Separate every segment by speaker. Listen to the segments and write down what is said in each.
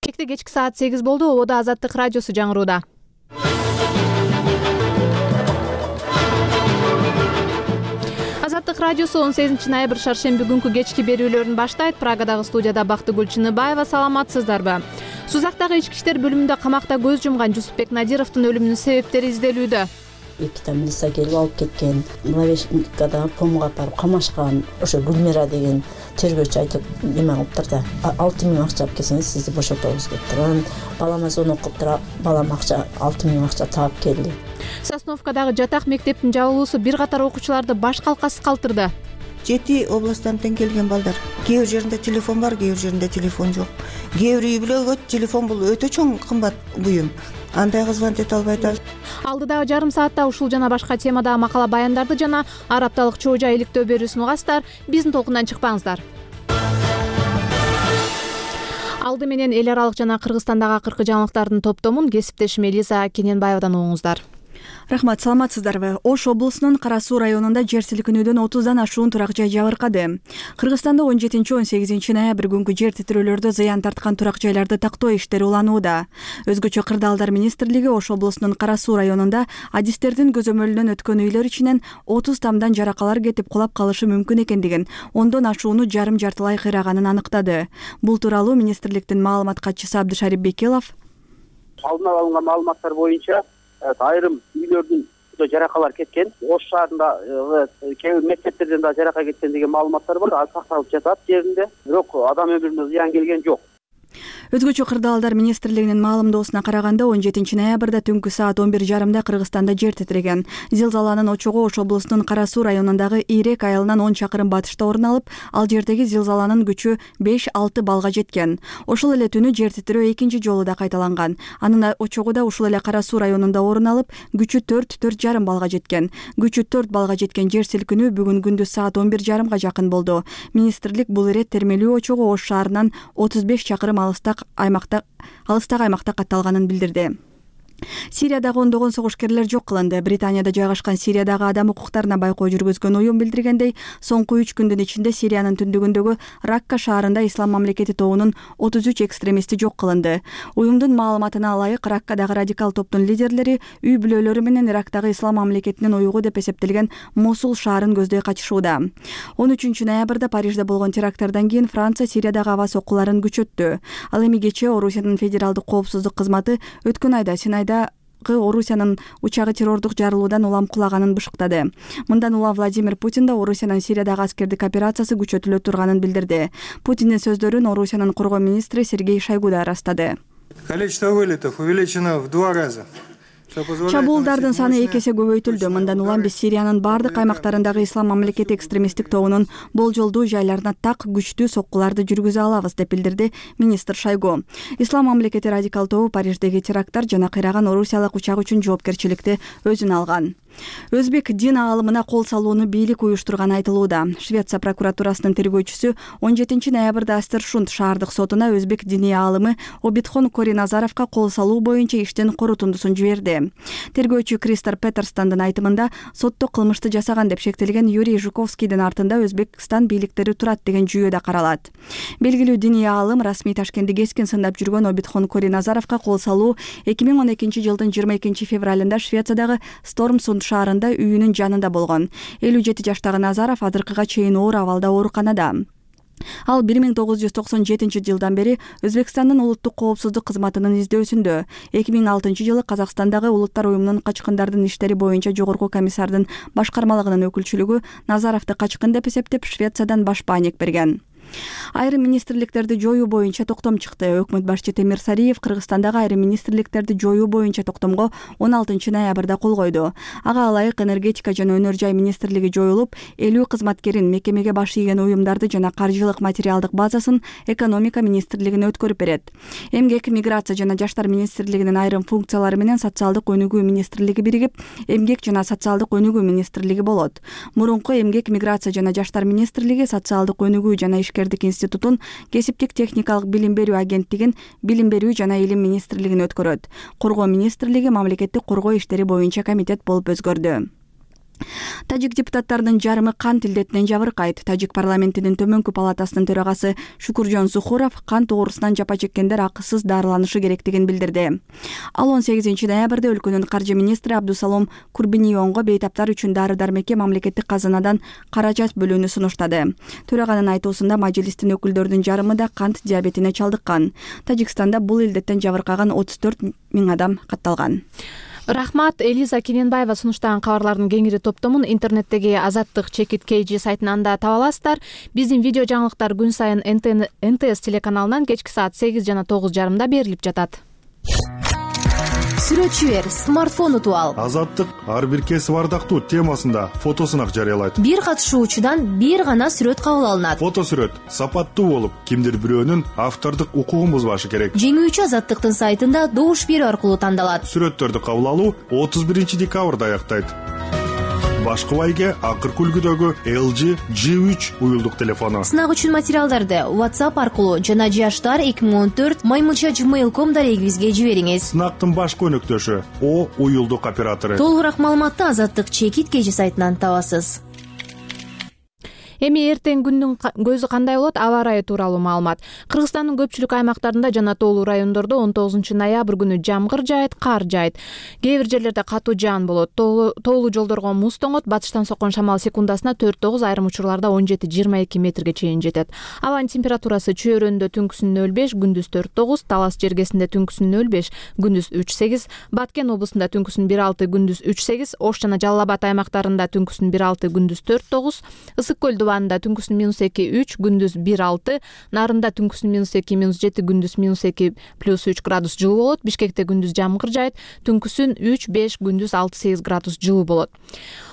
Speaker 1: Кекте кечки саат 8 болду. Ободо Азаттык радиосу жаңырууда. Азаттык радиосу 18 ноябрь шаршемби күнкү кечки берүүлөрүн баштайт. Прагадагы студияда Бактыгүл Чыныбаева. Саламатсыздарбы? Сузактагы ички иштер бөлүмүндө камакта көз жумган Жусупбек Надировдун өлүмүнүн себептери изделүүдө.
Speaker 2: Эки милиция келип алып кеткен, Главешникада помга апарып камашкан. Ошо Гүлмира деген тергөөчү айтып неме кылыптыр да, 6 000 акча алып келсеңиз сизди бошотобуз дептир. Балама звонок кылыптыр, балам акча 6 000 акча таап келди.
Speaker 1: Сосновкадагы жатак мектептин жабылуусу бир катар окуучуларды баш калкасыз калтырды.
Speaker 3: 7 областтан келген балдар. Кээ бир жеринде телефон бар, кээ бир жеринде телефон жок. Кээ бир үй бүлөгө телефон бул өтө чоң кымбат буюм. Андайга звонок эте албай атабыз.
Speaker 1: Алдыдагы жарым саатта ушул жана башка темадагы макала баяндарды жана ар апталык чоо жай иликтөө берүүсүн угасыздар. Биздин толкундан чыкпаңыздар. Алды менен эл аралык жана Кыргызстандагы акыркы жаңылыктардын топтомун кесиптешим Элиза Кененбаевадан угуңуздар.
Speaker 4: Рахмат, саламатсыздарбы? Ош облусунун Кара Суу районунда жер силкинүүдөн 30дан ашуун турак жай жабыркады. Кыргызстанда 17-18 ноябрь күнкү жер титирөөлөрдө зыян тарткан турак жайларды тактоо иштери уланууда. Өзгөчө Кырдаалдар министрлиги Ош облусунун Кара Суу районунда адистердин көзөмөлүнөн өткөн үйлөр ичинен 30 тамдан жаракалар кетип кулап калышы мүмкүн экендигин, ондон ашууну жарым-жартылай кыйраганын аныктады. Бул тууралуу министрликтин маалымат катчысы Абдышарип Бекелов
Speaker 5: алдын ала алынган маалыматтар боюнча айрым үйлөрдүн жаракалар кеткен, Ош шаарында кээ бир мектептерден да жарака кеткен деген маалыматтар бар. Ал сакталып жатат жеринде, бирок адам өмүрүнө зыян келген жок.
Speaker 4: Өзгөчө Кырдаалдар министрлигинин маалымдоосуна караганда 17 ноябрда түнкү саат 11:30 Кыргызстанда жер титиреген. Зилзаланын очогу Ош облусунун Кара Суу районундагы Ирек айылынан 10 чакырым батышта орун алып, ал жердеги зилзаланын күчү 5-6 балга жеткен. Ошол эле түнү жер титирөө экинчи жолу да кайталанган. Анын очогу да ушул эле Кара Суу районунда орун алып, күчү 4-4,5 балга жеткен. Күчү 4 балга жеткен жер силкинүү бүгүн күндүз саат 11:30 жакын болду. Министрлик бул ирет термелүү очогу Ош шаарынан 35 чакырым алыстагы аймакта катталганын билдирди. Сириядагы ондогон согушкерлер жок кылынды. Британияда жайгашкан Сириядагы адам укуктарына байкоо жүргүзгөн уюм билдиргендей, соңку 3 күндүн ичинде Сириянын түндүгүндөгү Ракка шаарында Ислам мамлекети тобунун 33 экстремисти жок кылынды. Уюмдун маалыматына ылайык, Раккадагы радикал топтун лидерлери үй бүлөлөрү менен Ирактагы Ислам мамлекетинин уюгу деп эсептелген Мосул шаарын көздөй качышууда. 13 ноябрда Парижде болгон теракттардан кийин Франция Сириядагы аба соккуларын күчөттү. Ал эми кечээ Орусиянын федералдык коопсуздук кызматы өткөн айда Синайда Орусиянын учагы террордук жарылуудан улам кулаганын бышыктады. Мындан улам Владимир Путин да Орусиянын Сириядагы аскердик операциясы күчөтүлө турганын билдирди. Путиндин сөздөрүн Орусиянын коргоо министри Сергей Шойгу да ырастады.
Speaker 6: Количество вылетов увеличено в 2 раза.
Speaker 4: Чабуулдардын саны 2 эсе көбөйтүлдү. Мындан улам биз Сириянын бардык аймактарындагы Ислам мамлекети экстремисттик тобунун болжолдуу жайларына так күчтүү соккуларды жүргүзө алабыз деп билдирди министр Шойгу. Ислам мамлекети радикал тобу Париждеги теракттар жана кыйраган орусиялык учак үчүн жоопкерчиликти өзүнө алган. Өзбек дин аалымына кол салууну бийлик уюштурганы айтылууда. Швеция прокуратурасынын тергөөчүсү 17 ноябрда Астершунд шаардык сотуна өзбек диний аалымы Обидхон Кориназаровго кол салуу боюнча иштин корутундусун жиберди. Тергөөчү Кристор Петерстандын айтымында сотто кылмышты жасаган деп шектелген Юрий Жуковскийдин артында Өзбекстан бийликтери турат деген жүйө да каралат. Белгилүү диний аалым расмий Ташкентти кескин сындап жүргөн Обидхон Кориназаровго кол салуу 2012 жылдын 22 февралында Швециядагы Стормсунд шаарында үйүнүн жанында болгон. 57 жаштагы Назаров азыркыга чейин оор абалда ооруканада. Ал 1997 жылдан бери Өзбекстандын улуттук коопсуздук кызматынын издөөсүндө. 2006 жылы Казакстандагы Улуттар уюмунун качкындардын иштери боюнча жогорку комиссардын башкармалыгынын өкүлчүлүгү Назаровду качкын деп эсептеп Швециядан баш бааник берген. Айрым министрликтерди жоюу боюнча токтом чыкты. Өкмөт башчы Темир Сариев Кыргызстандагы айрым министрликтерди жоюу боюнча токтомго 16 ноябрда кол койду. Ага ылайык энергетика жана өнөр жай министрлиги жоюлуп, 50 кызматкерин, мекемеге баш ийген уюмдарды жана каржылык материалдык базасын экономика министрлигине өткөрүп берет. Эмгек, миграция жана жаштар министрлигинин айрым функциялары менен социалдык өнүгүү министрлиги биригип, эмгек жана социалдык өнүгүү министрлиги болот. Мурунку эмгек, миграция жана жаштар министрлиги социалдык өнүгүү жана институтун, кесиптик техникалык билим берүү агенттигин, билим берүү жана илим министрлигин өткөрөт. Коргоо министрлиги мамлекеттик коргоо иштери боюнча комитет болуп өзгөрдү. Тажик депутаттарынын жарымы кант илдетинен жабыркайт. Тажик парламентинин төмөнкү палатасынын төрагасы Шукуржон Сухуров кант оорусунан жапа чеккендер акысыз дарыланышы керектигин билдирди. Ал 18 ноябрда өлкөнүн каржы министри Абдусалом Курбинионго бейтаптар үчүн дары-дармекке мамлекеттик казынадан каражат бөлүүнү сунуштады. Төраганын айтуусунда мажлистин өкүлдөрүнүн жарымы да кант диабетине чалдыккан. Тажикстанда бул илдеттен жабыркаган 34 000 адам катталган.
Speaker 1: Рахмат. Элиза Кененбаева сунуштаган кабарлардын кеңири топтомун интернеттеги Азаттык чекит KG сайтынан да таба аласыздар. Биздин видео жаңылыктар күн сайын НТС телеканалынан кечки саат 8 жана 9:30 берилип жатат.
Speaker 7: Сүрөтчү бер, смартфон утуп ал.
Speaker 8: Азаттык ар бир кесип ардактуу темасында фотосунак жарыялайт.
Speaker 7: Бир катышуучудан бир гана сүрөт кабыл алынат.
Speaker 8: Фото сүрөт сапаттуу болуп, кимдир бирөөнүн автордук укугун бузбашы керек.
Speaker 7: Жеңүүчү Азаттыктын сайтында добуш берүү аркылуу тандалат.
Speaker 8: Сүрөттөрдү кабыл алуу 31 декабрда аяктайт. Башкы байге акыркы үлгүдөгү LG G3 уюлдук телефону.
Speaker 7: Сынак үчүн материалдарды WhatsApp аркылуу жана jashtar2014@gmail.com дарегибизге жибериңиз.
Speaker 8: Сынактын башкы өнөктөшү O уюлдук оператору.
Speaker 7: Толугураак маалыматты Азаттык чекит KG сайтынан табасыз.
Speaker 1: Эми эртең күндүн көзү кандай болот? Аба ырайы тууралуу маалымат. Кыргызстандын көпчүлүк аймактарында жана тоолуу райондордо 19 ноябрь күнү жамгыр жаайт, кар жаайт. Кээ бир жерлерде катуу жаан болот. Тоолуу жолдорго муз тоңот, батыштан соккон шамал секундасына 4-9, айрым учурларда 17-22 метрге чейин жетет. Абанын температурасы чөйрөндө түнкүсүн 0,5, күндүз 4-9, Талас жергесинде түнкүсүн 0,5, күндүз 3,8, Баткен облусунда түнкүсүн 1,6, күндүз 3,8, Ош жана Жалал Абад аймактарында түнкүсүн 1,6, күндүз 4,9, Ысык көл Анда түнкүсүн -2-3, күндүз 1,6, Нарында түнкүсүн -2-7, күндүз -2 +3 градус жылуу болот. Бишкекте күндүз жамгыр жаайт, түнкүсүн 3-5, күндүз 6-8 градус жылуу болот.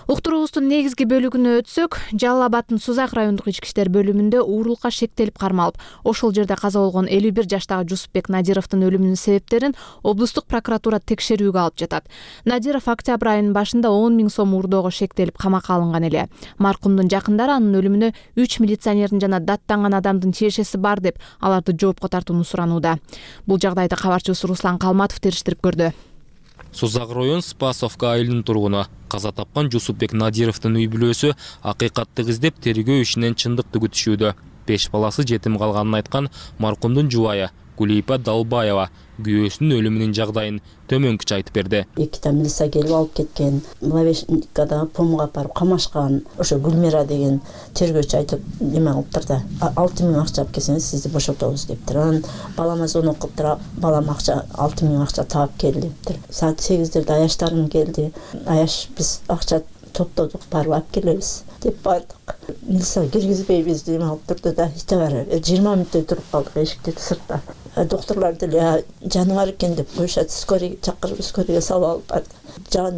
Speaker 1: Уктуруубуздун негизги бөлүгүнө өтсөк, Жалал Абаддын Сузак райондук ички иштер бөлүмүндө уурулукка шектелип кармалып, ошол жерде каза болгон 51 жаштагы Жусупбек Надировдун өлүмүнүн себептерин облустук прокуратура текшерүүгө алып жатат. Надиров октябрь айынын башында 10 000 сом урдоого шектелип камакка алынган эле. Маркумдун жакындары анын өлүмүнө 3 милиционердин жана даттанган адамдын тиешеси бар деп, аларды жоопко тартууну суранууда. Бул жагдайды кабарчыбыз Руслан Калматов териштирип көрдү.
Speaker 9: Сузак район Спасовка айылынын тургуну каза тапкан Жусупбек Надировдун үй бүлөсү акыйкатты издеп тергөө ишинен чындыкты күтүшүүдө. 5 баласы жетим калганын айткан маркумдун жубайы Гулипа Далбаева күйөөсүнүн өлүмүнүн жагдайын төмөнкүчө айтып берди.
Speaker 2: 2 милиция келип алып кеткен, Млавешникада помга барып камашкан. Ошо Гүлмира деген тергөөчү айтып, неме кылыптыр да, 6 000 акча алып келсеңиз сизди бошотобуз дептир. Анан балама звонок кылыптыр, балам акча 6 000 акча таап кел дептир. Саат 8-дерде аяштарым келди. Аяш биз акча топтодук, барып алып келебиз деп бардык. Милиция киргизбейбиз деп алып турду да, ите бар. 20 мүнөттөй туруп калдык эшикте сыртта. Доктурлар деле жаны бар экен деп коюшат, скорый чакырып, скорыйга салып алып барды.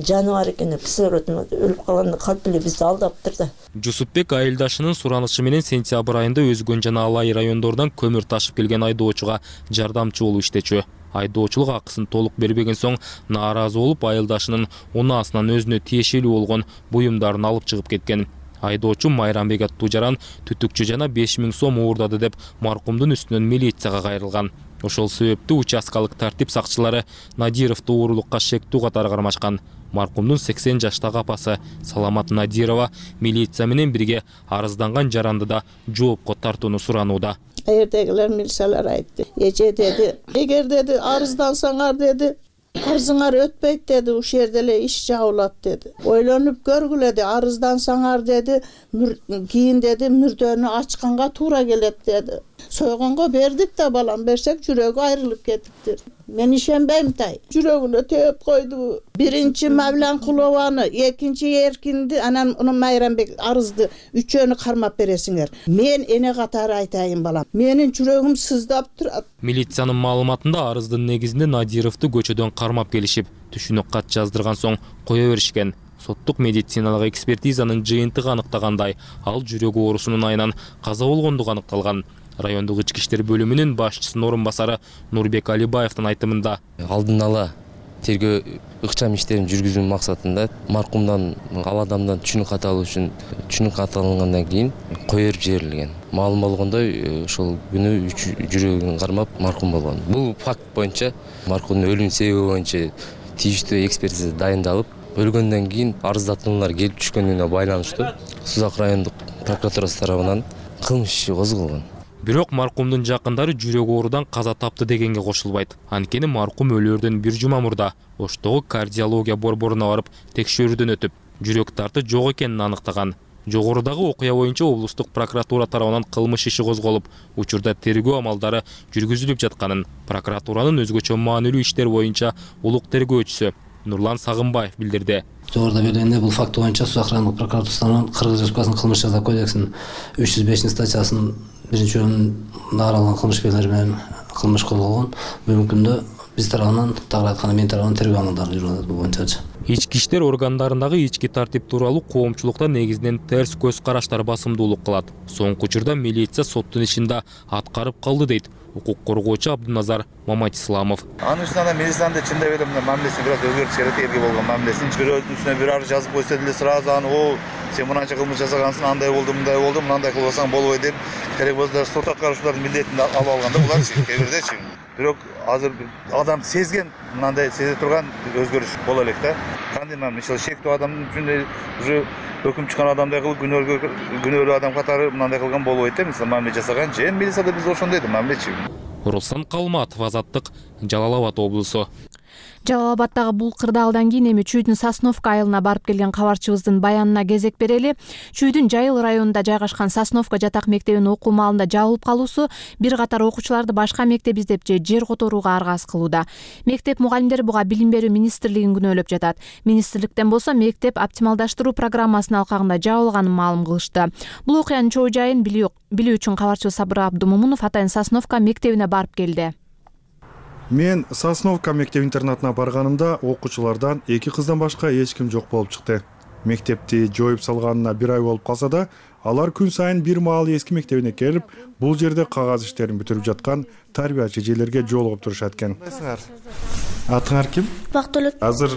Speaker 2: Жаны бар экен деп кислород өлүп калганда калп эле бизди алдаптыр да.
Speaker 9: Жусупбек айылдашынын суранышы менен сентябрь айында Өзгөн жана Алай райондорунан көмүр ташып келген айдоочуга жардамчы болуп иштечү. Айдоочулук акысын толук бербеген соң нааразы болуп, айылдашынын унаасынан өзүнө тиешелүү болгон буюмдарын алып чыгып кеткен. Айдоочу Майрамбек аттуу жаран түтүкчү жана 5 000 сом уурдады деп маркумдун үстүнөн милицияга кайрылган. Ошол себептүү участкалык тартип сакчылары Надировду уурулукка шектүү катары кармашкан. Маркумдун 80 жаштагы апасы Саламат Надирова милиция менен бирге арызданган жаранды да жоопко тартууну суранууда.
Speaker 10: Эрдегилер милициялар айтты. Эже деди, эгер деди арыздансаңар деди, арызыңар өтпөйт деди, ушул жерде эле иш жабылат деди. Ойлонуп көргүлө деди, арыздансаңар деди, кийин деди мүрдөнү ачканга туура келет деди. Сойгонго бердик да, балам берсек жүрөгү айрылып кетиптир. Мен ишенбейм тай. Жүрөгүнө төөп койду. Биринчи Мавлан Кулованы, экинчи Эркинди, анан Майрамбек арызды үчөөнү кармап бересиңер. Мен эне катары айтайын балам. Менин жүрөгүм сыздап турат.
Speaker 9: Милициянын маалыматында арыздын негизинде Надировду көчөдөн кармап келишип, түшүнүк кат жаздырган соң кое беришкен. Соттук медициналык экспертизанын жыйынтыгы аныктагандай, ал жүрөк оорусунун айынан каза болгондугу аныкталган. Райондук ички иштер бөлүмүнүн башчысынын орун басары Нурбек Алибаевдин айтымында,
Speaker 11: алдын ала тергөө ыкчам иштерин жүргүзүү максатында маркумдан, ал адамдан түшүнүк кат алуу үчүн түшүнүк кат алынгандан кийин кое берип жиберилген. Маалым болгондой, ошол күнү жүрөгүн кармап маркум болгон. Бул факт боюнча маркумдун өлүм себеби боюнча тийиштүү экспертиза дайындалып, өлгөндөн кийин арыздатуулар келип түшкөнүнө байланыштуу Сузак райондук прокуратурасы тарабынан кылмыш иши козголгон.
Speaker 9: Бирок маркумдун жакындары жүрөк оорудан каза тапты дегенге кошулбайт. Анткени маркум өлөөрдөн 1 жума мурда Оштогу кардиология борборуна барып текшерүүдөн өтүп, жүрөк тарты жок экенин аныктаган. Жогорудагы окуя боюнча облустук прокуратура тарабынан кылмыш иши козголуп, учурда тергөө амалдары жүргүзүлүп жатканын прокуратуранын өзгөчө маанилүү иштер боюнча улук тергөөчүсү Нурлан Сагынбаев билдирди.
Speaker 12: Жогоруда белгиленде бул факт боюнча Сузак райондук прокуратурасынан Кыргыз Республикасынын кылмыш жаза кодексинин 305 статьясынын 1-бөлүмүндө каралган кылмыш белгилери менен кылмыш козголгон. Бүгүнкү күндө биз тарабынан, тагыраак айтканда мен тарабынан тергөө амалдары жүрүп атат бул боюнча.
Speaker 9: Ички иштер органдарындагы ички тартип тууралуу коомчулукта негизинен терс көз караштар басымдуулук кылат. Соңку учурда милиция соттун ишинде аткарып калды дейт укук коргоочу Абдуназар Маматисламов.
Speaker 13: Анын үстүнө милициянын чындап эле мына мамилеси бир аз өзгөрүш керек, элге болгон мамилесин бирөөнүн үстүнө бир арыз жазып койсо деле сразу аны сен мынанча кылмыш жасагансың, андай болду, мындай кылбасаң болбойт деп керек болсо сот аткаруучулардын милдетин алып алганда буларчы кээ бирдечи. Бирок азыр адам сезген, мындай сезе турган өзгөрүш боло элек да. Кандай мисалы шектүү адамдын үчүн уже өкүм чыккан адамдай кылып күнөөлүү адам катары мындай кылган болбойт да. Мисалы мамиле жасаган же милицияда биз ошондой да мамилечи.
Speaker 9: Руслан Калматов, Азаттык, Жалал Абад облусу.
Speaker 1: Жалал Абаддагы бул кырдаалдан кийин эми Чүйдүн Сосновка айылына барып келген кабарчыбыздын баянына кезек берели. Чүйдүн Жайыл районунда жайгашкан Сосновка жатак мектебинин окуу маалында жабылып калуусу бир катар окуучуларды башка мектеп издеп же жер которууга аргасыз кылууда. Мектеп мугалимдери буга Билим берүү министрлигин күнөөлөп жатат. Министрликтен болсо мектеп оптималдаштыруу программасынын алкагында жабылганын маалым кылышты. Бул окуянын чоо жайын билүү үчүн кабарчыбыз Сабыр Абдумомунов атайын Сосновка мектебине барып келди.
Speaker 14: Мен Сосновка мектеп-интернатына барганымда окуучулардан 2 кыздан башка эч ким жок болуп чыкты. Мектепти жоюп салганына 1 ай болуп калса да, алар күн сайын бир маал эски мектебине келип, бул жерде кагаз иштерин бүтүрүп жаткан тарбиячы эжелерге жолугуп турушат экен. Атыңар ким?
Speaker 15: Бактылык.
Speaker 14: Азыр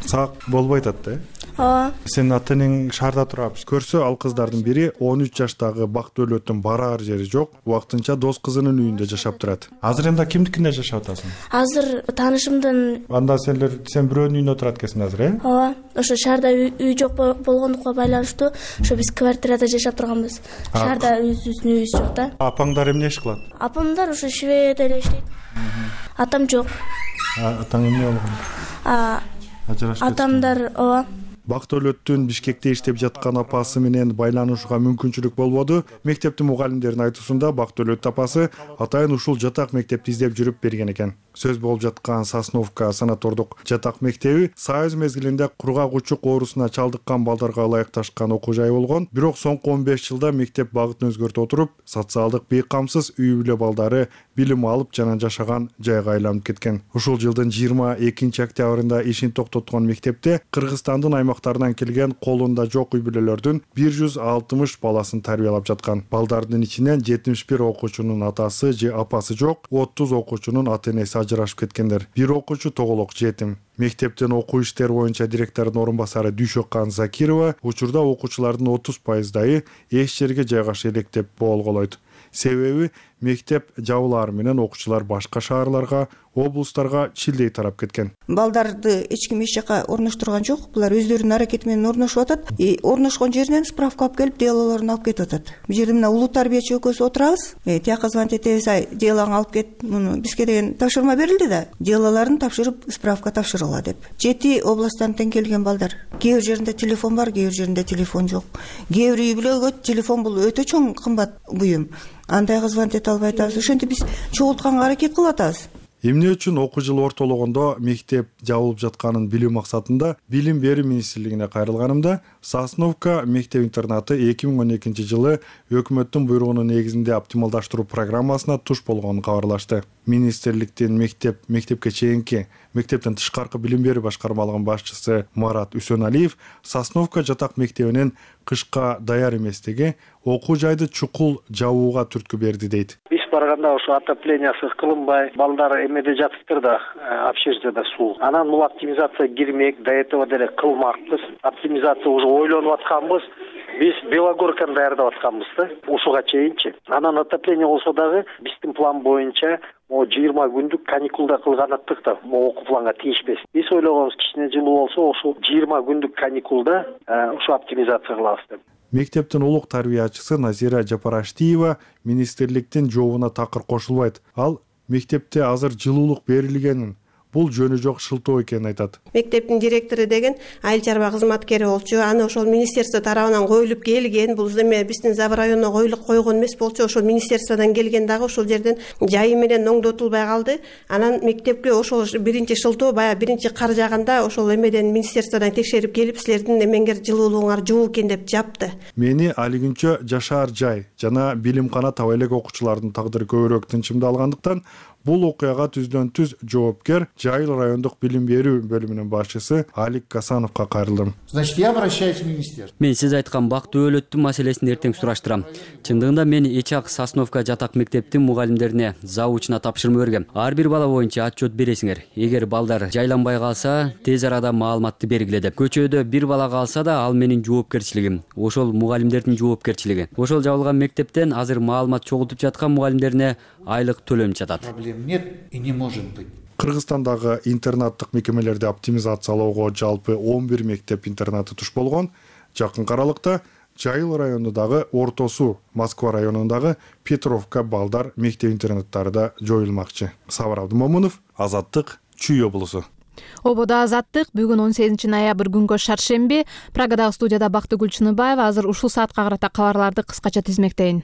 Speaker 14: саак болбой атат да?
Speaker 15: Ооба.
Speaker 14: Сенин ата-энең шаарда турат. Көрсө ал кыздардын бири 13 жаштагы Бактөлөттүн бараар жери жок, убактынча дос кызынын үйүндө жашап турат. Азыр эмне кимдикинде жашап атасың?
Speaker 15: Азыр таанышымдын.
Speaker 14: Анда сен бирөөнүн үйүндө турат экенсиң азыр, э?
Speaker 15: Ооба. Ошо шаарда үй жок болгондукка байланыштуу, ошо биз квартирада жашап турганбыз. Шаарда өзүбүздүн үйүбүз жок да.
Speaker 14: Апаңдар эмне иш кылат?
Speaker 15: Апамдар ошо швейде эле иштейт. Атам жок.
Speaker 14: Атаң эмне болгон?
Speaker 15: Атамдар, ооба.
Speaker 14: Бактөлөттүн Бишкекте иштеп жаткан апасы менен байланышууга мүмкүнчүлүк болбоду. Мектептин мугалимдеринин айтуусунда Бактөлөт апасы атайын ушул жатак мектепти издеп жүрүп берген экен. Сөз болуп жаткан Сосновка санатордук жатак мектеби Союз мезгилинде кургак учук оорусуна чалдыккан балдарга ылайыкташкан окуу жай болгон. Бирок соңку 15 жылда мектеп багытын өзгөртө отуруп, социалдык бейкамсыз үй бүлө балдары билим алып жана жашаган жайга айланып кеткен. Ушул жылдын 22 октябрында ишин токтоткон мектепте Кыргызстандын аймактарынан келген колунда жок үй бүлөлөрдүн 160 баласын тарбиялап жаткан. Балдардын ичинен 71 окуучунун атасы же апасы жок, 30 окуучунун ата-энеси ажырашып кеткендер. Бир окуучу тоголок жетим. Мектептин окуу иштери боюнча директордун орун басары Дүйшөккан Закирова учурда окуучулардын 30% эч жерге жайгаша элек деп болголойт. Себеби мектеп жабылары менен окуучулар башка шаарларга, облустарга чилдей тарап кеткен.
Speaker 3: Балдарды эч ким эч жака орноштурган жок. Булар өздөрүнүн аракети менен орношуп атат. Орношкон жеринен справка алып келип, делолорун алып кетип атат. Бул жерде мына улуу тарбиячы экөөбүз отурабыз. Тияка звонить этебиз, делоңду алып кет. Муну бизге деген тапшырма берилди да. Делолорун тапшырып, справка тапшыргыла деп. 7 областтан тең келген балдар. Кээ бир жеринде телефон бар, кээ бир жеринде телефон жок. Кээ бир үй бүлөгө телефон бул өтө чоң кымбат буюм. Андайга звонить эте албай атабыз. Ошентип биз чогултканга аракет кылып атабыз.
Speaker 14: Эмне үчүн окуу жылы ортологондо мектеп жабылып жатканын билүү максатында Билим берүү министрлигине кайрылганымда Сосновка мектеп-интернаты 2012 жылы өкмөттүн буйругунун негизинде оптималдаштыруу программасына туш болгонун кабарлашты. Министрликтин мектепке чейинки мектептен тышкаркы билим берүү башкармалыгынын башчысы Марат Үсөналиев Сосновка жатак мектебинин кышка даяр эместиги окуу жайды чукул жабууга түрткү берди дейт.
Speaker 16: Биз барганда ошо отоплениясы кылынбай, балдар эмеде жатыптыр да, общежитияда суу. Анан бул оптимизация кирмек, до этого деле кылмакпыз. Оптимизация уже ойлонуп атканбыз. Биз Белогорканы даярдап атканбыз да ушуга чейинчи. Анан отопление болсо дагы биздин план боюнча 20 күндүк каникулда кылганаттык да окуу планга тийишпес. Биз ойлогонбуз кичине жылуу болсо ошол 20 күндүк каникулда ушу оптимизация кылабыз деп.
Speaker 14: Мектептин улук тарбиячысы Назира Жапараштиева министрликтин жообуна такыр кошулбайт. Ал мектепте азыр жылуулук берилгенин, бул жөнү жок шылтоо экенин айтат.
Speaker 17: Мектептин директору деген айыл чарба кызматкери болчу. Аны ошол министерство тарабынан коюлуп келген. Бул эме биздин Забыр районуна койгон эмес болчу. Ошол министерстводон келген дагы ошол жерден жайы менен оңдотулбай калды. Анан мектепке ошол биринчи шылтоо баягы биринчи кар жааганда ошол эмеден министерстводон текшерип келип силердин эмеңер жылуулугуңар жок экен деп жапты.
Speaker 14: Мени али күнчө жашаар жай жана билимкана таба элек окуучулардын тагдыры көбүрөөк тынчымдалгандыктан бул окуяга түздөн-түз жоопкер Жайыл райондук билим берүү бөлүмүнүн башчысы Алик Гасановго кайрылдым.
Speaker 18: Значит, я обращаюсь в министерство.
Speaker 19: Мен сиз айткан бактуу өлөттүн маселесин эртең сураштырам. Чындыгында мен Эчак Сосновка жатак мектептин мугалимдерине заучуна тапшырма бергем. Ар бир бала боюнча отчет бересиңер. Эгер балдар жайланбай калса, тез арада маалыматты бергиле деп. Көчөдө бир бала калса да, ал менин жоопкерчилигим. Ошол мугалимдердин жоопкерчилиги. Ошол жабылган мектептен азыр маалымат чогултуп жаткан мугалимдерине айлык төлөнүп жатат.
Speaker 18: Проблем нет и не может быть.
Speaker 14: Кыргызстандагы интернаттык мекемелерди оптимизациялоого жалпы 11 мектеп интернаты туш болгон. Жакынкы аралыкта Жайыл районундагы Орто Суу, Москва районундагы Петровка балдар мектеп интернаттары да жоюлмакчы. Сабыр Абдымомунов, Азаттык, Чүй облусу.
Speaker 1: Ободо Азаттык бүгүн 18 ноябрь күнгө шаршемби. Прагадагы студияда Бактыгүл Чыныбаева. Азыр ушул саатка карата кабарларды кыскача тизмектейин.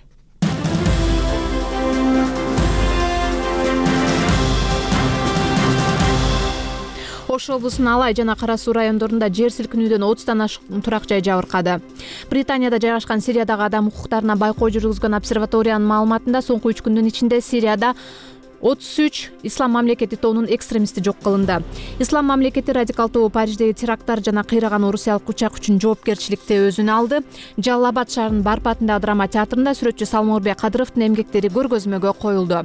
Speaker 1: Ош облусунун Алай жана Кара Суу райондорунда жер силкинүүдөн 30тан ашык турак жай жабыркады. Британияда жайгашкан Сириядагы адам укуктарына байкоо жүргүзгөн обсерваториянын маалыматында соңку 3 күндүн ичинде Сирияда 33 Ислам мамлекети тобунун экстремисти жок кылынды. Ислам мамлекети радикал тобу Париждеги теракттар жана кыйраган орусиялык учак үчүн жоопкерчиликти өзүнө алды. Жалал-Абад шаарынын Барпатындагы драма театрында сүрөтчү Салморбек Кадыровдун эмгектери көргөзмөгө коюлду.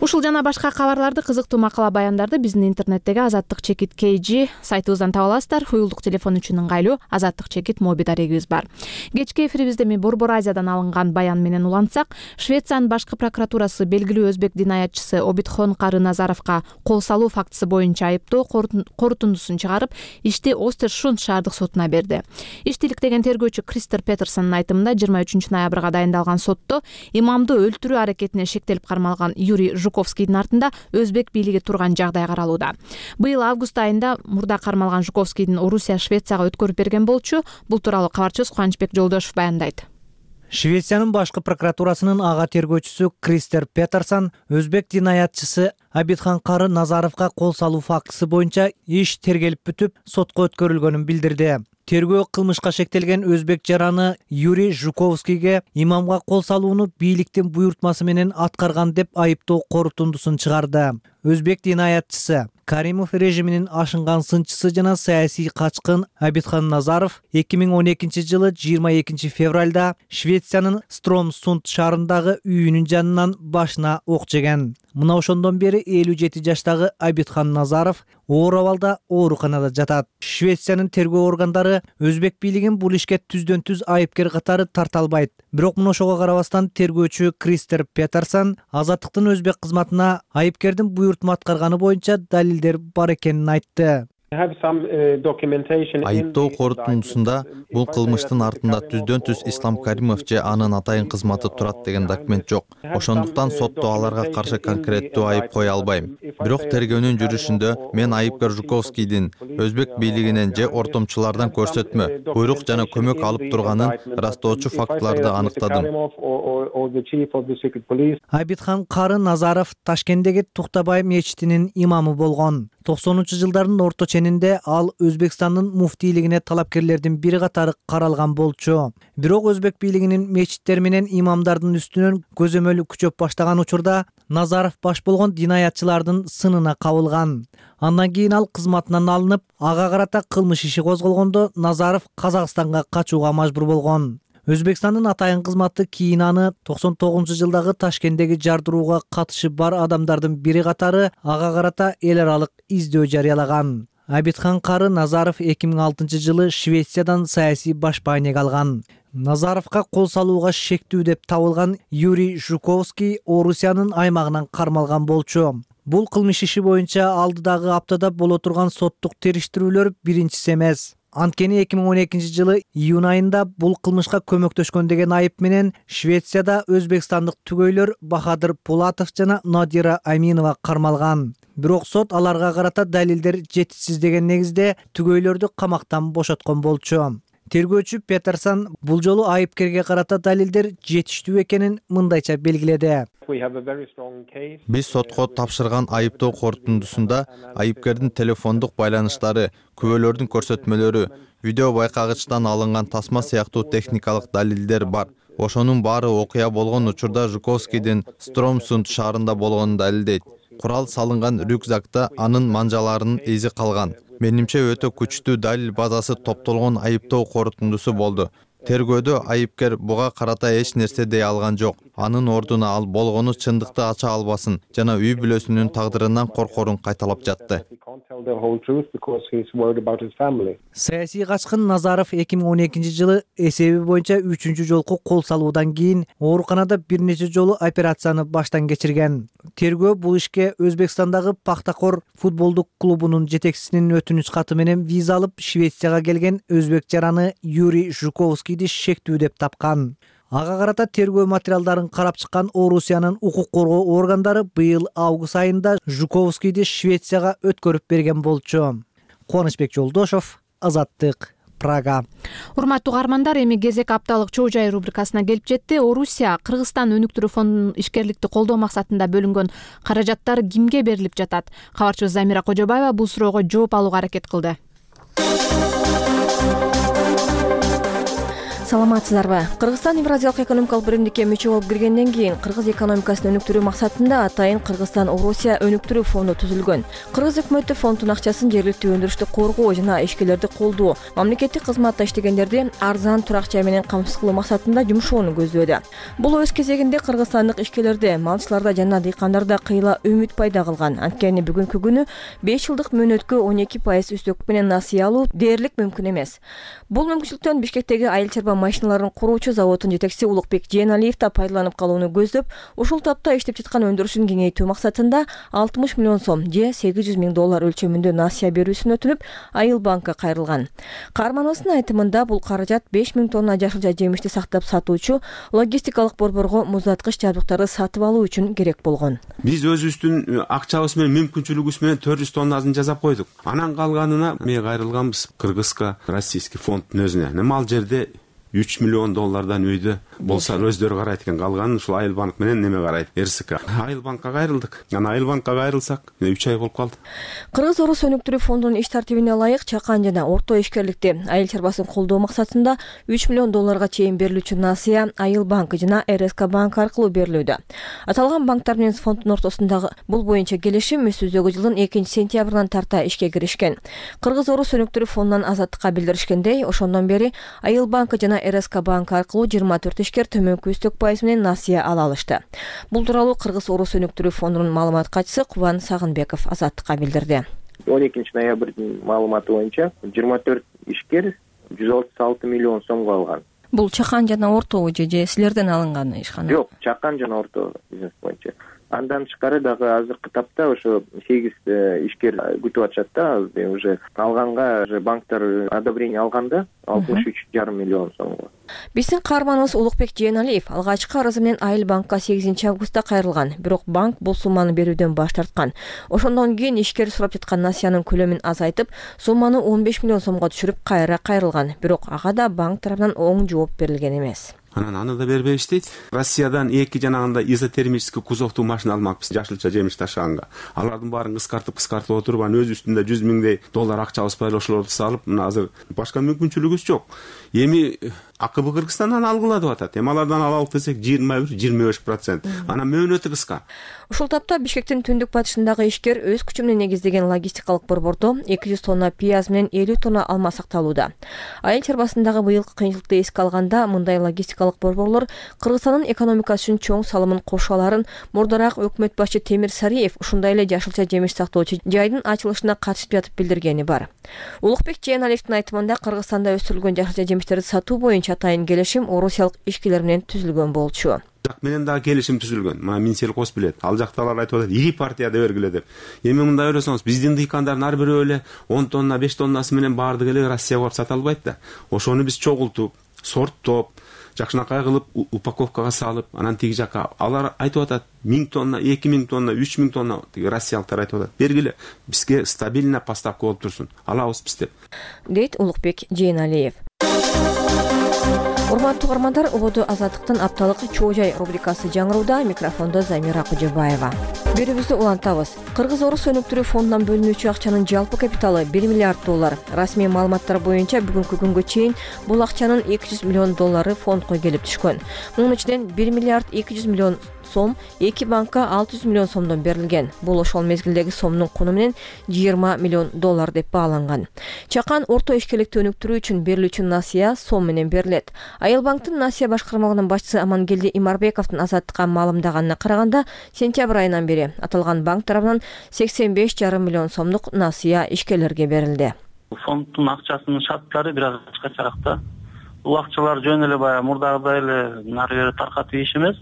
Speaker 1: Ушул жана башка кабарларды, кызыктуу макала баяндарды биздин интернеттеги Азаттык чекит KG сайтыбыздан таба аласыздар. Уюлдук телефон үчүн ыңгайлуу Азаттык чекит моби дарегибиз бар. Кечки эфирибизде ми Борбор Азиядан алынган баян менен улантсак, Швециянын башкы прокуратурасы белгилүү өзбек динаятчысы Обидхон Кары Назаровго кол салуу фактысы боюнча айыптоо корутундусун чыгарып, ишти Остершунд шаардык сотуна берди. Ишти иликтеген тергөөчү Кристер Петерсондун айтымында 23 ноябрга дайындалган сотто имамды өлтүрүү аракетине шектелип кармалган Юрий Жуковскийдин артында өзбек бийлиги турган жагдай каралууда. Быйыл август айында мурда кармалган Жуковскийдин Орусия Швецияга өткөрүп берген болчу. Бул тууралуу кабарчыбыз Кубанычбек Жолдошев баяндайт.
Speaker 20: Швециянын башкы прокуратурасынын ага тергөөчүсү Кристер Петерсон өзбек динаятчысы Обидхон Кары Назаровго кол салуу фактысы боюнча иш тергелип бүтүп, сотко өткөрүлгөнүн билдирди. Тергөө кылмышка шектелген өзбек жараны Юрий Жуковскийге имамга кол салууну бийликтин буйртмасы менен аткарган деп айыптоо корутундусун чыгарды. Өзбек динаятчысы Каримов режиминин ашынган сынчысы жана саясий качкын Обидхон Назаров 2012 жылы 22 февралда Швециянын Стромсунд шаарындагы үйүнүн жанынан башына ок жеген. Мына ошондон бери 57 жаштагы Обидхон Назаров оор абалда ооруканада жатат. Швециянын тергөө органдары өзбек бийлигин бул ишке түздөн-түз айыпкер катары тарта албайт. Бирок мына ошого карабастан тергөөчү Кристер Петерсон Азаттыктын өзбек кызматына айыпкердин буйртма аткарганы боюнча далилдер бар экенин айтты.
Speaker 21: Айыптоо корутундусунда бул кылмыштын артында түздөн-түз Ислам Каримов же анын атайын кызматы турат деген документ жок. Ошондуктан сотто аларга каршы конкреттүү айып кое албайм. Бирок тергөөнүн жүрүшүндө мен айыпкер Жуковскийдин өзбек бийлигинен же ортомчулардан көрсөтмө, буйрук жана көмөк алып турганын ырастоочу фактыларды аныктадым.
Speaker 20: Обидхон Кары Назаров Ташкенттеги Туктабай мечитинин имамы болгон. 90-жылдардын орто ченинде ал Өзбекстандын муфтийлигине талапкерлердин бири катары каралган болчу. Бирок өзбек бийлигинин мечиттер менен имамдардын үстүнөн көзөмөл күчөп баштаган учурда Назаров баш болгон динаятчылардын сынына кабылган. Андан кийин ал кызматынан алынып, ага карата кылмыш иши козголгондо Назаров Казакстанга качууга мажбур болгон. Өзбекстандын атайын кызматы кийин аны 99-жылдагы Ташкенттеги жардырууга катышы бар адамдардын бири катары ага карата эл аралык издөө жарыялаган. Обидхон Кары Назаров 2006 жылы Швециядан саясий башпаанек алган. Назаровго кол салууга шектүү деп табылган Юрий Жуковский Орусиянын аймагынан кармалган болчу. Бул кылмыш иши боюнча алдыдагы аптада боло турган соттук териштирүүлөр биринчиси эмес. Анткени 2012 жылы июнь айында бул кылмышка көмөктөшкөн деген айып менен Швецияда өзбекстандык түгөйлөр Бахадыр Пулатов жана Надира Аминова кармалган. Бирок сот аларга карата далилдер жетишсиз деген негизде түгөйлөрдү камактан бошоткон болчу. Тергөөчү Петерсон бул жолу айыпкерге карата далилдер жетиштүү экенин мындайча белгиледи.
Speaker 21: Биз сотко тапшырган айыптоо корутундусунда айыпкердин телефондук байланыштары, күбөлөрдүн көрсөтмөлөрү, видео байкагычтан алынган тасма сыяктуу техникалык далилдер бар. Ошонун баары окуя болгон учурда Жуковскийдин Стромсунд шаарында болгонун далилдейт. Курал салынган рюкзакта анын манжаларынын изи калган. Менимче өтө күчтүү далил базасы топтолгон айыптоо корутундусу болду. Тергөөдө айыпкер буга карата эч нерсе дей алган жок. Анын ордуна ал болгону чындыкты ача албасын жана үй бүлөсүнүн тагдырынан коркорун кайталап жатты.
Speaker 20: Саясий качкын Назаров 2012 жылы эсеби боюнча 3-чү жолку кол салуудан кийин ооруканада бир нече жолу операцияны баштан кечирген. Тергөө бул ишке Өзбекстандагы Пахтакор футболдук клубунун жетекчисинин өтүнүч каты менен виза алып Швецияга келген өзбек жараны Юрий Жуковскийди шектүү деп тапкан. Ага карата тергөө материалдарын карап чыккан Орусиянын укук коргоо органдары быйыл август айында Жуковскийди Швецияга өткөрүп берген болчу. Кубанычбек Жолдошов, Азаттык, Прага.
Speaker 1: Урматтуу угармандар, эми кезек апталык чоо жай рубрикасына келип жетти. Орусия Кыргызстан өнүктүрүү фондунун ишкерликти колдоо максатында бөлүнгөн каражаттар кимге берилип жатат? Кабарчыбыз Замира Кожобаева бул суроого жооп алууга аракет кылды.
Speaker 5: Саламатсыздарбы? Кыргызстан Евразиялык экономикалык биримдикке мүчө болуп киргенден кийин кыргыз экономикасын өнүктүрүү максатында атайын Кыргызстан Орусия өнүктүрүү фонду түзүлгөн. Кыргыз өкмөтү фонддун акчасын жергиликтүү өндүрүштү коргоо жана ишкерлерди колдоо, мамлекеттик кызматта иштегендерди арзан турак жай менен камсыз кылуу максатында жумшоону көздөөдө. Бул өз кезегинде кыргызстандык ишкерлерде, малчыларда жана дыйкандарда кыйла үмүт пайда кылган. Анткени бүгүнкү күнү 5 жылдык мөөнөткө 12% үстөк менен насыя алуу дээрлик мүмкүн эмес. Бул мүмкүнчүлүктөн Бишкектеги айыл чарба машиналарын куруучу заводдун жетекчиси Улукбек Жээналиев да пайдаланып калууну көздөп, ушул тапта иштеп жаткан өндүрүшүн кеңейтүү максатында 60 миллион сом же $800 миң өлчөмүндө насыя берүүсүн өтүнүп, Айыл банкка кайрылган. Каармановдун айтымында бул каражат 5 миң тонна жашылча жемишти сактап сатуучу логистикалык борборго муздаткыч жабдыктарды сатып алуу үчүн керек болгон.
Speaker 22: Биз өзүбүздүн акчабыз менен, мүмкүнчүлүгүбүз менен 400 тоннасын жасап койдук. Анан калганына мен кайрылганбыз Кыргызга, российский фонддун өзүнө. Ал жерде $3 миллион үйдө болса өздөрү карайт экен, калганын ушул Айыл банк менен неме карайт, РСК. Айыл банкка кайрылдык. Анан Айыл банкка кайрылсак 3 ай болуп калды.
Speaker 5: Кыргыз Орус өнүктүрүү фондунун иш тартибине ылайык чакан жана орто ишкерликти, айыл чарбасын колдоо максатында $3 миллион чейин берилүүчү насыя Айыл банкы жана РСК банк аркылуу берилүүдө. Аталган банктар менен фонддун ортосундагы бул боюнча келишим өсүүдөгү жылдын 2-сентябрынан тарта ишке киришкен. Кыргыз Орус өнүктүрүү фондунан Азаттыкка билдиришкендей, ошондон бери Айыл банкы жана РСК банк аркылуу 24 ишкер төмөнкү үстөк пайыз менен насыя ала алышты. Бул тууралуу Кыргыз Орус өнүктүрүү фондунун маалымат катчысы Кубан Сагынбеков Азаттыкка билдирди.
Speaker 23: 12 ноябрдын маалыматы боюнча 24 ишкер 136 миллион сомго алган.
Speaker 5: Бул чакан жана орто же силерден алынган ишкана?
Speaker 23: Жок, чакан жана орто бизнес боюнча. Андан тышкары дагы азыркы тапта ошо 8 ишкер күтүп атышат да, уже алганга банктар одобрение алганда 63,5 миллион сомго.
Speaker 5: Биздин каарманыбыз Улукбек Жээналиев алгачкы арызы менен Айыл банкка 8 августта кайрылган, бирок банк бул сумманы берүүдөн баш тарткан. Ошондон кийин ишкер сурап жаткан насыянын көлөмүн азайтып, сумманы 15 миллион сомго түшүрүп кайра кайрылган, бирок ага да банк тарабынан оң жооп берилген эмес.
Speaker 22: Анан аны да бербейбиз дейт. Россиядан 2 жанагында изотермический кузовтуу машина алмакпыз жашылча жемиш ташыганга. Алардын баарын кыскартып отуруп, анын өз үстүндө $100 миңдей акчабыз бар, ошолорду салып, мына азыр башка мүмкүнчүлүгүбүз жок. Эми АКБ Кыргызстандан алгыла деп атат. Эми алардан алалык десек 21-25%. Анан мөөнөтү кыска.
Speaker 5: Ушул тапта Бишкектин түндүк батышындагы ишкер өз күчү менен негиздеген логистикалык борбордо 200 тонна пияз менен 50 тонна алма сакталууда. Айыл чарбасындагы быйылкы кыйынчылыкты эске алганда, мындай логистика энергетикалык борборлор Кыргызстандын экономикасы үчүн чоң салымын кошо аларын мурдараак өкмөт башчы Темир Сариев ушундай эле жашылча жемиш сактоочу жайдын ачылышына катышып жатып билдиргени бар. Улукбек Жээналиевдин айтымында Кыргызстанда өстүрүлгөн жашылча жемиштерди сатуу боюнча атайын келишим орусиялык ишкерлер менен түзүлгөн болчу.
Speaker 22: Жак менен дагы келишим түзүлгөн. Мына Минсельхоз билет. Ал жакталар айтып атат, ири партияда бергиле деп. Эми мындай ойлосоңуз, биздин дыйкандардын ар бирөө эле 10 тонна, 5 тоннасы менен баардыгы эле Россияга барып сата албайт да. Ошону биз чогултуп, сорттоп, жакшынакай кылып упаковкага салып, анан тиги жака алар айтып атат 1000 тонна, 2000 тонна, 3000 тонна тиги россиялыктар айтып атат. Бергиле, бизге стабильно поставка болуп турсун. Алабыз биз деп.
Speaker 5: Дейт Улукбек Жээналиев. Урматтуу угармандар, убоду Азаттыктын апталык Чоо жай рубрикасы жаңырууда, микрофондо Замира Кожобаева. Берүүбүздү улантабыз. Кыргыз-Орус өнүктүрүү фондунан бөлүнүүчү акчанын жалпы капиталы $1 миллиард. Расмий маалыматтар боюнча бүгүнкү күнгө чейин бул акчанын $200 миллион фондко келип түшкөн. Мунун ичинен $1 миллиард 200 миллион сом эки банкка $600 миллион сомдон берилген. Бул ошол мезгилдеги сомдун куну менен $20 миллион деп бааланган. Чакан орто ишкерликти өнүктүрүү үчүн берилүүчү насыя сом менен берилет. Айыл банктын насыя башкармалыгынын башчысы Амангелди Имарбековдун Азаттыкка маалымдаганына караганда, сентябрь айынан бери аталган банк тарабынан $85,5 миллион сомдук насыя ишкерлерге берилди.
Speaker 4: Фонддун акчасынын шарттары бир аз башкачараак да. Бул акчалар жөн эле баягы мурдагыдай эле нары бери таркатып иш эмес.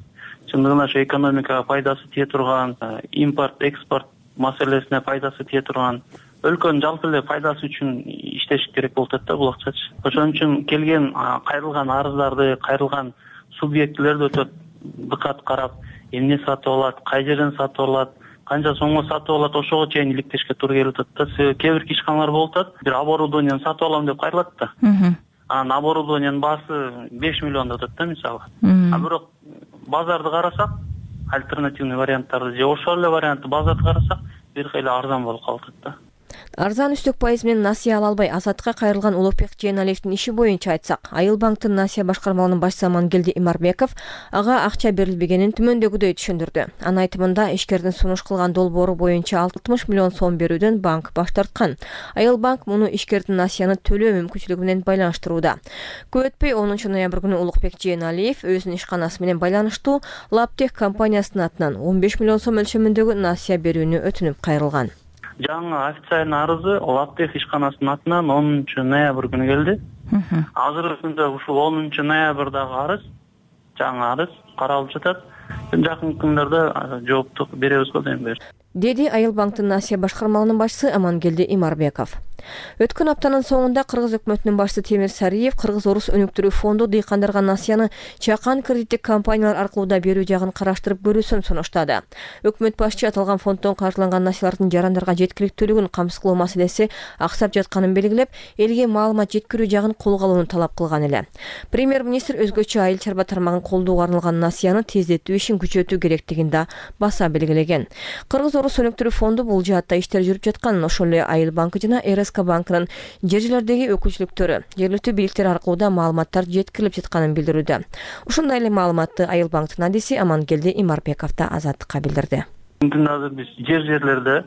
Speaker 4: Чындыгында ошо экономикага пайдасы тие турган, импорт, экспорт маселесине пайдасы тие турган, өлкөнүн жалпы эле пайдасы үчүн иштеш керек болуп атат да бул акчачы. Ошон үчүн келген кайрылган арыздарды, кайрылган субъектилерди өтө дыкат карап, эмне сатып алат, кай жерден сатып алат, канча сомго сатып алат, ошого чейин иликтешке туура келип атат да. Кээ бир ишканалар болуп атат, бир оборудованияны сатып алам деп кайрылат да. Анан оборудованиянын баасы 5 миллион деп атат да мисалы. А бирок базарды карасак, альтернативный варианттарды же ошол эле вариантты базарды карасак, бир кыйла арзан болуп калып атат да.
Speaker 5: Арзан үстөк пайыз менен насыя ала албай Азаттыкка кайрылган Улукбек Жээналиевдин иши боюнча айтсак, Айыл банктын насыя башкармалыгынын башчысы Амангелди Имарбеков ага акча берилбегенин түмөндөгүдөй түшүндүрдү. Анын айтымында ишкердин сунуш кылган долбоору боюнча $60 миллион сом берүүдөн банк баш тарткан. Айыл банк муну ишкердин насыяны төлөө мүмкүнчүлүгү менен байланыштырууда. Көп өтпөй 10 ноябрь күнү Улукбек Жээналиев өзүнүн ишканасы менен байланыштуу Лаптех компаниясынын атынан $15 миллион сом өлчөмүндөгү насыя берүүнү өтүнүп кайрылган.
Speaker 4: Жаңы официальный арызы Лаптех ишканасынын атынан 10 ноябрь күнү келди. Азыркы күндө ушул 10 ноябрдагы арыз, жаңы арыз каралып жатат. Жакын күндөрдө жоопту беребиз го дейм.
Speaker 5: Деди Айыл банктын насыя башкармалыгынын башчысы Амангелди Имарбеков. Өткөн аптанын соңунда Кыргыз өкмөтүнүн башчысы Темир Сариев Кыргыз-Орус өнүктүрүү фонду дыйкандарга насыяны чакан кредиттик компаниялар аркылуу да берүү жагын караштырып көрүүсүн сунуштады. Өкмөт башчы аталган фонддон каржыланган насыялардын жарандарга жеткиликтүүлүгүн камсыз кылуу маселеси аксап жатканын белгилеп, элге маалымат жеткирүү жагын колго алууну талап кылган эле. Премьер-министр өзгөчө айыл чарба тармагын колдоого арналган насыяны тездетүү ишин күчөтүү керектигин да баса белгилеген. Кыргыз-Орус өнүктүрүү фонду бул жаатта иштер жүрүп жатканын, ошол эле Айыл банкы жана РСК банкынын жер жерлердеги өкүлчүлүктөрү жергиликтүү бийликтер аркылуу да маалыматтар жеткирилип жатканын билдирүүдө. Ушундай эле маалыматты Айыл банктын адиси Амангелди Имарбеков да Азаттыкка билдирди.
Speaker 4: Азыр биз жер жерлерде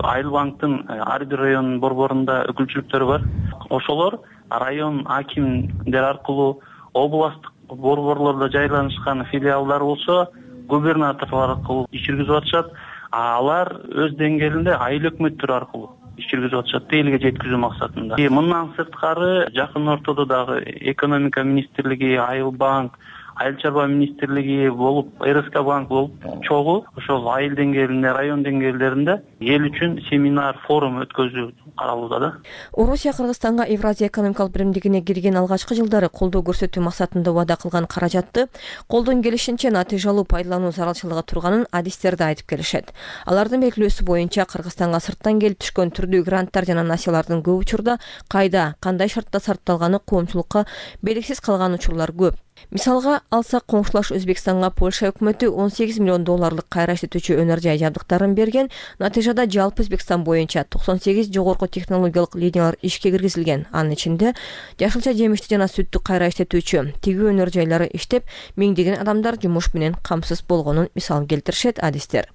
Speaker 4: Айыл банктын ар бир районунун борборунда өкүлчүлүктөрү бар. Ошолор район акимдер аркылуу областтык борборлордо жайланышкан филиалдар болсо, губернаторлор аркылуу иш жүргүзүп атышат. Алар өз деңгээлинде айыл өкмөттөрү аркылуу иш жүргүзүп атышат, элге жеткизүү максатында. Мындан сырткары жакын ортодо дагы экономика министрлиги, Айыл банк, Айыл чарба министрлиги болуп, РСК банк болуп чогуу ошол айыл деңгээлинде, район деңгээлдеринде эл үчүн семинар, форум өткөзүү каралууда да.
Speaker 5: Орусия Кыргызстанга Евразия экономикалык биримдигине кирген алгачкы жылдары колдоо көрсөтүү максатында убада кылган каражатты колдон келишинче натыйжалуу пайдалануу зарылчылыгы турганын адистер да айтып келишет. Алардын белгилөөсү боюнча Кыргызстанга сырттан келип түшкөн түрдүү гранттар жана насыялардын көп учурда кайда, кандай шартта сарпталганы коомчулукка белгисиз калган учурлар көп. Мисалга алсак, коңшулаш Өзбекстанга Польша өкмөтү $18 миллион кайра иштетүүчү өнөр жай жабдыктарын берген, натыйжада Кошумчада жалпы Өзбекстан боюнча 98 жогорку технологиялык линиялар ишке киргизилген. Анын ичинде жашылча жемишти жана сүттү кайра иштетүүчү тигүү өнөр жайлары иштеп, миңдеген адамдар жумуш менен камсыз болгонун мисалын келтиришет адистер.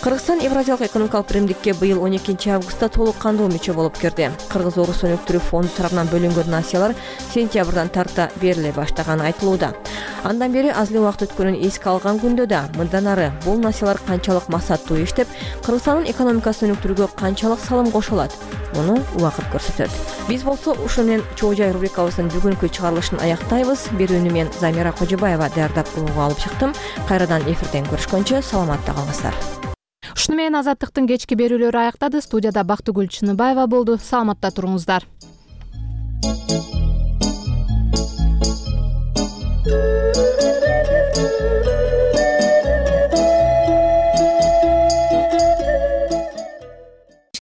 Speaker 5: Кыргызстан Евразиялык экономикалык биримдикке быйыл 12 августта толук кандуу мүчө болуп кирди. Кыргыз-Орус өнүктүрүү фонду тарабынан бөлүнгөн насиялар сентябрдан тарта бериле баштаганы айтылууда. Андан бери аз эле убакыт өткөнүн эске алган күндө да мындан ары бул насиялар канчалык максаттуу иштеп, Кыргызстандын экономикасын өнүктүрүүгө канчалык салым кошо алат? Муну убакыт көрсөтөт. Биз болсо ушуну менен чоо жай рубрикабыздын бүгүнкү чыгарылышын аяктайбыз. Берүүнү мен Замира Кожобаева даярдап угууга алып чыктым. Кайрадан эфирден көрүшкөнчө саламатта калыңыздар.
Speaker 1: Ушуну менен Азаттыктын кечки берүүлөрү аяктады. Студияда Бактыгүл Чыныбаева болду. Саламатта туруңуздар.